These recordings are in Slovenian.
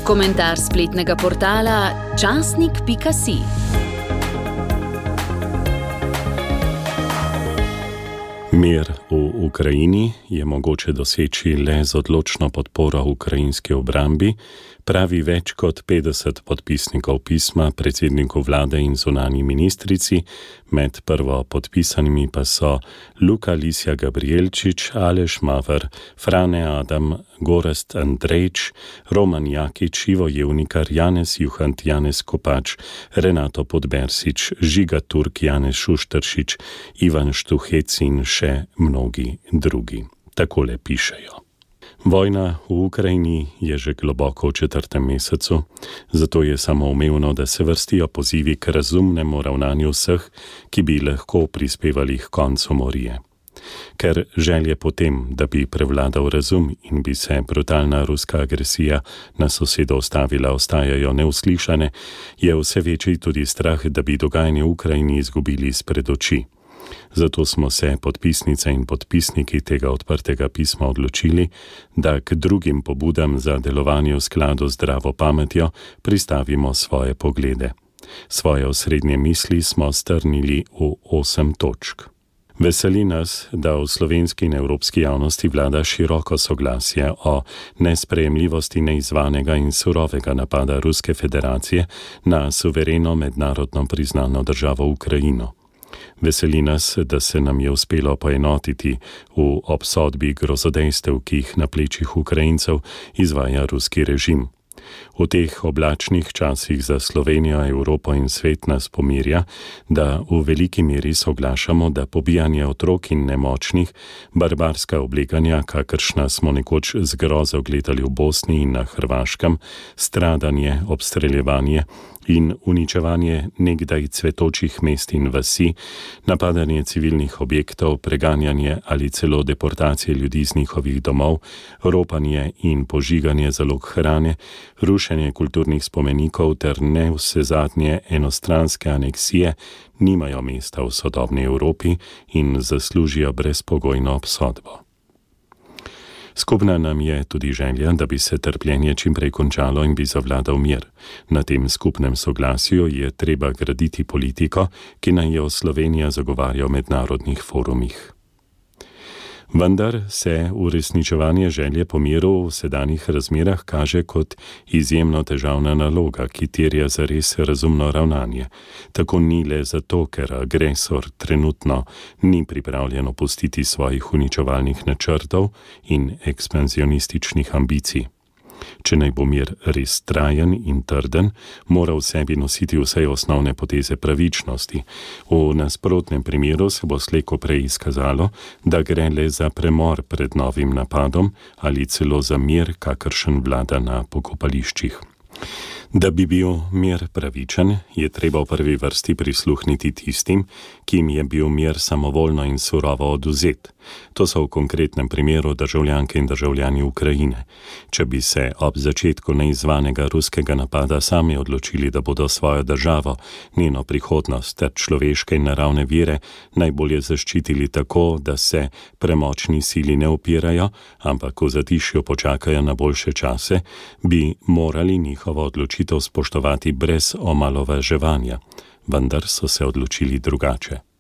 Komentar spletnega portala časnik.si. Mir v Ukrajini je mogoče doseči le z odločno podporo ukrajinski obrambi, pravi več kot 50 podpisnikov pisma predsedniku vlade in zunanji ministrici, med prvo podpisanimi pa so Luka Lisja Gabrielčič, Aleš Maver, Frane Adam, Gorazd Andrejč, Roman Jakič, Ivo Jevnikar, Janez Juhant, Janez Kopač, Renato Podbersič, Žiga Turk, Janez Šušteršič, Ivan Štuhec in še mnogi drugi. Takole pišejo. Vojna v Ukrajini je že globoko v 4. mesecu, zato je samoumevno, da se vrstijo pozivi k razumnemu ravnanju vseh, ki bi lahko prispevali k koncu morije. Ker želje potem, da bi prevladal razum in bi se brutalna ruska agresija na sosedo ustavila, ostajajo neuslišane, je vse večji tudi strah, da bi dogajanje v Ukrajini izgubili izpred oči. Zato smo se podpisnice in podpisniki tega odprtega pisma odločili, da k drugim pobudam za delovanje v skladu z zdravo pametjo pristavimo svoje poglede. Svoje osrednje misli smo strnili v 8 točk. Veseli nas, da v slovenski in evropski javnosti vlada široko soglasje o nesprejemljivosti neizvanega in surovega napada Ruske federacije na suvereno mednarodno priznano državo Ukrajino. Veseli nas, da se nam je uspelo poenotiti v obsodbi grozodejstev, ki jih na plečih Ukrajincev izvaja ruski režim. V teh oblačnih časih za Slovenijo, Evropo in svet nas pomirja, da v veliki meri soglašamo, da pobijanje otrok in nemočnih, barbarska obleganja, kakršna smo nekoč z grozo gledali v Bosni in na Hrvaškem, stradanje, obstreljevanje in uničevanje nekdaj cvetočih mest in vasi, napadanje civilnih objektov, preganjanje ali celo deportacije ljudi z njihovih domov, ropanje in požiganje zalog hrane, rušenje kulturnih spomenikov ter nevsezadnje enostranske aneksije nimajo mesta v sodobni Evropi in zaslužijo brezpogojno obsodbo. Skupna nam je tudi želja, da bi se trpljenje čimprej končalo in bi zavladal mir. Na tem skupnem soglasju je treba graditi politiko, ki naj jo Slovenija zagovarja v mednarodnih forumih. Vendar se uresničevanje želje po miru v sedanjih razmerah kaže kot izjemno težavna naloga, ki terja zares razumno ravnanje. Tako ni le zato, ker agresor trenutno ni pripravljen opustiti svojih uničevalnih načrtov in ekspanzionističnih ambicij. Če naj bo mir res trajen in trden, mora v sebi nositi vse osnovne poteze pravičnosti. V nasprotnem primeru se bo slej ko prej izkazalo, da gre le za premor pred novim napadom ali celo za mir, kakršen vlada na pokopališčih. Da bi bil mir pravičen, je treba v prvi vrsti prisluhniti tistim, ki jim je bil mir samovoljno in surovo odvzet. To so v konkretnem primeru državljanke in državljani Ukrajine. Če bi se ob začetku neizvanega ruskega napada sami odločili, da bodo svojo državo, njeno prihodnost ter človeške in naravne vire najbolje zaščitili tako, da se premočni sili ne upirajo, ampak v zatišju počakajo na boljše čase, bi morali njihovo odločitev spoštovati brez omalovaževanja, vendar so se odločili drugače.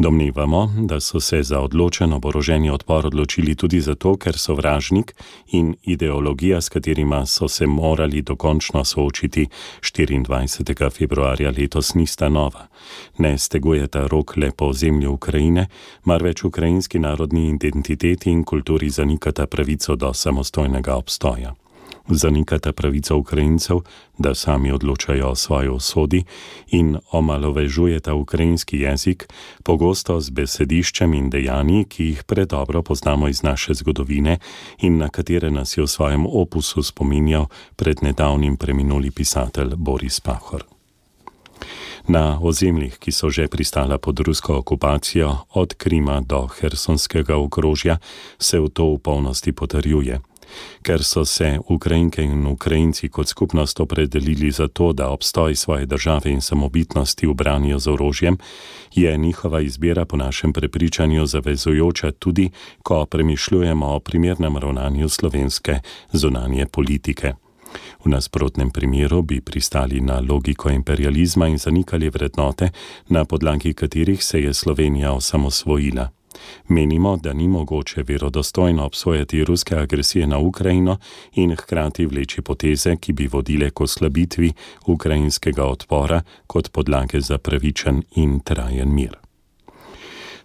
Domnevamo, da so se za odločen oboroženi odpor odločili tudi zato, ker sovražnik in ideologija, s katerima so se morali dokončno soočiti 24. februarja letos, nista nova. Ne stegujeta rok le po ozemlju Ukrajine, marveč ukrajinski narodni identiteti in kulturi zanikata pravico do samostojnega obstoja. Zanikata pravico Ukrajincev, da sami odločajo o svoji usodi in omalovažujeta ukrajinski jezik, pogosto z besediščem in dejanji, ki jih predobro poznamo iz naše zgodovine in na katere nas je v svojem opusu spominjal pred nedavnim preminuli pisatelj Boris Pahor. Na ozemljih, ki so že pristala pod rusko okupacijo, od Krima do Hersonskega okrožja, se v to v polnosti potrjuje. Ker so se Ukrajinke in Ukrajinci kot skupnost opredelili za to, da obstoj svoje države in samobitnosti ubranijo z orožjem, je njihova izbira po našem prepričanju zavezujoča tudi, ko premišljujemo o primernem ravnanju slovenske zunanje politike. V nasprotnem primeru bi pristali na logiko imperializma in zanikali vrednote, na podlagi katerih se je Slovenija osamosvojila. Menimo, da ni mogoče verodostojno obsojati ruske agresije na Ukrajino in hkrati vleči poteze, ki bi vodile k oslabitvi ukrajinskega odpora kot podlage za pravičen in trajen mir.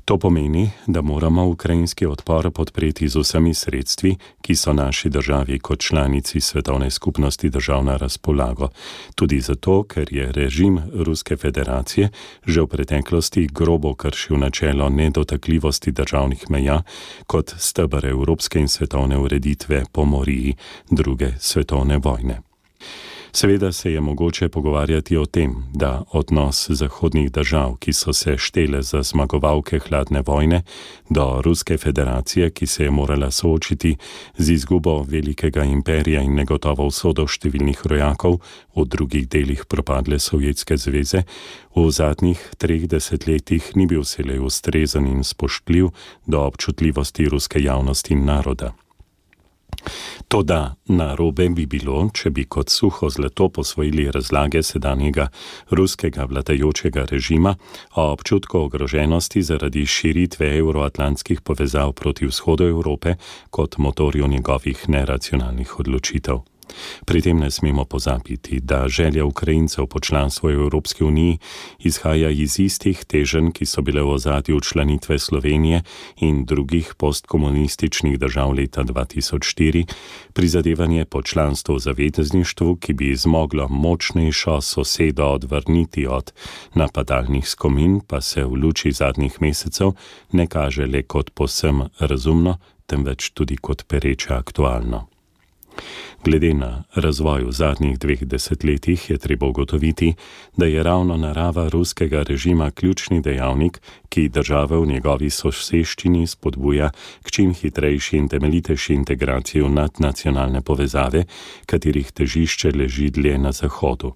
To pomeni, da moramo ukrajinski odpor podpreti z vsemi sredstvi, ki so naši državi kot članici Svetovne skupnosti držav na razpolago. Tudi zato, ker je režim Ruske federacije že v preteklosti grobo kršil načelo nedotakljivosti državnih meja kot steber evropske in svetovne ureditve po moriji druge svetovne vojne. Seveda se je mogoče pogovarjati o tem, da odnos zahodnih držav, ki so se štele za zmagovalke hladne vojne, do Ruske federacije, ki se je morala soočiti z izgubo velikega imperija in negotovo usodo številnih rojakov v drugih delih propadle Sovjetske zveze, v zadnjih 3 desetletjih ni bil vselej ustrezen in spoštljiv do občutljivosti ruske javnosti in naroda. Toda narobe bi bilo, če bi kot suho zlato posvojili razlage sedanjega ruskega vladajočega režima o občutku ogroženosti zaradi širitve euroatlantskih povezav proti vzhodu Evrope kot motorju njegovih neracionalnih odločitev. Pri tem ne smemo pozabiti, da želja Ukrajincev po članstvu v Evropski uniji izhaja iz istih teženj, ki so bile v ozadju članitve Slovenije in drugih postkomunističnih držav leta 2004, prizadevanje po članstvu v zavezništvu, ki bi zmoglo močnejšo sosedo odvrniti od napadalnih skomin, pa se v luči zadnjih mesecev ne kaže le kot povsem razumno, temveč tudi kot pereče aktualno. Glede na razvoj v zadnjih 2 desetletjih je treba ugotoviti, da je ravno narava ruskega režima ključni dejavnik, ki države v njegovi soseščini spodbuja k čim hitrejši in temeljitejši integraciji v nadnacionalne povezave, katerih težišče leži dlje na zahodu.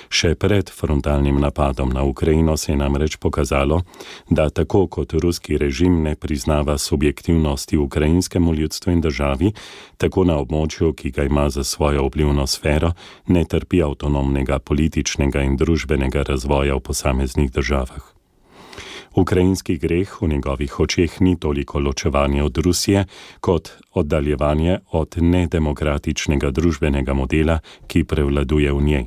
Še pred frontalnim napadom na Ukrajino se je namreč pokazalo, da tako kot ruski režim ne priznava subjektivnosti ukrajinskemu ljudstvu in državi, tako na območju, ki ga ima za svojo vplivno sfero, ne trpi avtonomnega političnega in družbenega razvoja v posameznih državah. Ukrajinski greh v njegovih očeh ni toliko ločevanje od Rusije, kot oddaljevanje od nedemokratičnega družbenega modela, ki prevladuje v njej.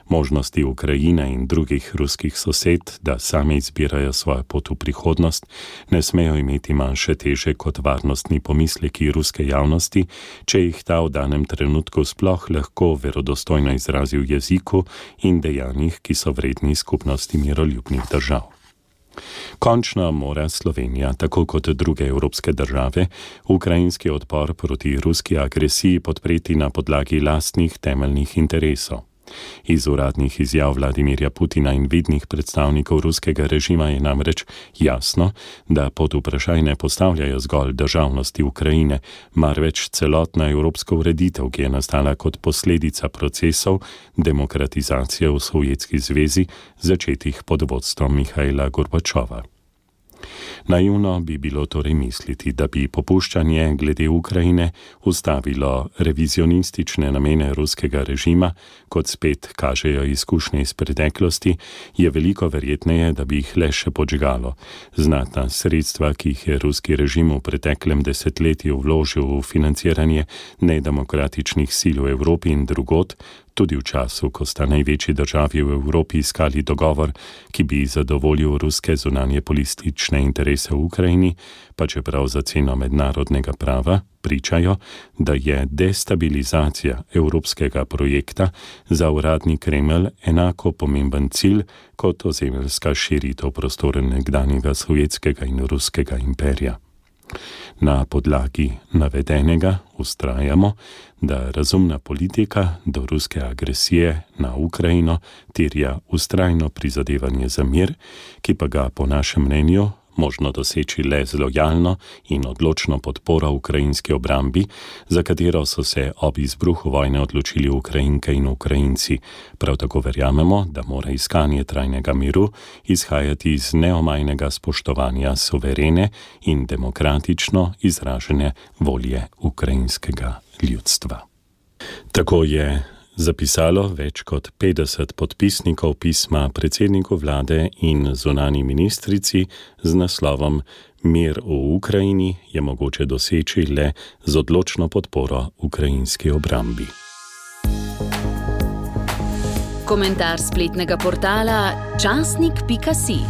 Možnosti Ukrajine in drugih ruskih sosed, da same izbirajo svojo pot v prihodnost, ne smejo imeti manjše teže kot varnostni pomisleki ruske javnosti, če jih ta v danem trenutku sploh lahko verodostojno izrazi v jeziku in dejanjih, ki so vredni skupnosti miroljubnih držav. Končno mora Slovenija, tako kot druge evropske države, ukrajinski odpor proti ruski agresiji podpreti na podlagi lastnih temeljnih interesov. Iz uradnih izjav Vladimirja Putina in vidnih predstavnikov ruskega režima je namreč jasno, da pod vprašaj ne postavljajo zgolj državnosti Ukrajine, marveč celotna evropska ureditev, ki je nastala kot posledica procesov demokratizacije v Sovjetski zvezi, začetih pod vodstvom Mihaila Gorbačova. Naivno bi bilo torej misliti, da bi popuščanje glede Ukrajine ustavilo revizionistične namene ruskega režima, kot spet kažejo izkušnje iz preteklosti, je veliko verjetneje, da bi jih le še podžgalo. Znatna sredstva, ki jih je ruski režim v preteklem desetletju vložil v financiranje nedemokratičnih sil v Evropi in drugod, tudi v času, ko sta največji državi v Evropi iskali dogovor, ki bi zadovoljil ruske zunanje politične interese v Ukrajini, pa čeprav za ceno mednarodnega prava, pričajo, da je destabilizacija evropskega projekta za uradni Kremelj enako pomemben cilj kot ozemeljska širitev prostora nekdanjega sovjetskega in ruskega imperija. Na podlagi navedenega vztrajamo, da razumna politika do ruske agresije na Ukrajino terja vztrajno prizadevanje za mir, ki pa ga po našem mnenju možno doseči le z lojalno in odločno podporo ukrajinski obrambi, za katero so se ob izbruhu vojne odločili Ukrajinke in Ukrajinci. Prav tako verjamemo, da mora iskanje trajnega miru izhajati iz neomajnega spoštovanja suverene in demokratično izražene volje ukrajinskega ljudstva. Tako je zapisalo več kot 50 podpisnikov pisma predsedniku vlade in zunanji ministrici z naslovom Mir v Ukrajini je mogoče doseči le z odločno podporo ukrajinski obrambi. Komentar spletnega portala časnik.si.